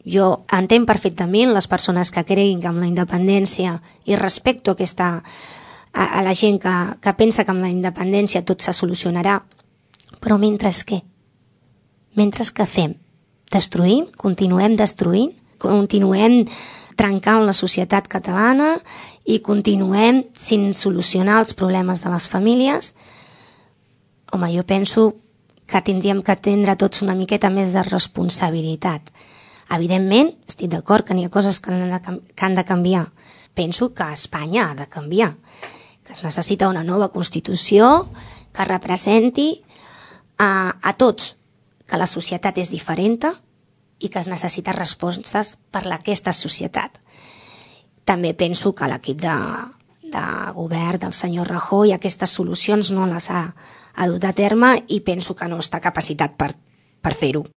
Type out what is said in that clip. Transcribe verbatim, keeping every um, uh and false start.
Jo entenc perfectament les persones que creguin que amb la independència, i respecto aquesta, a, a la gent que, que pensa que amb la independència tot se solucionarà, però mentre què? Mentre què fem? Destruïm? Continuem destruint? Continuem trencant la societat catalana i continuem sin solucionar els problemes de les famílies? Home, jo penso que tindríem que atendre tots una miqueta més de responsabilitat. Evidentment, estic d'acord que n'hi ha coses que han, de, que han de canviar. Penso que Espanya ha de canviar, que es necessita una nova Constitució que representi a, a tots, que la societat és diferent i que es necessita respostes per a aquesta societat. També penso que l'equip de, de govern del senyor Rajoy aquestes solucions no les ha, ha dut a terme i penso que no està capacitat per, per fer-ho.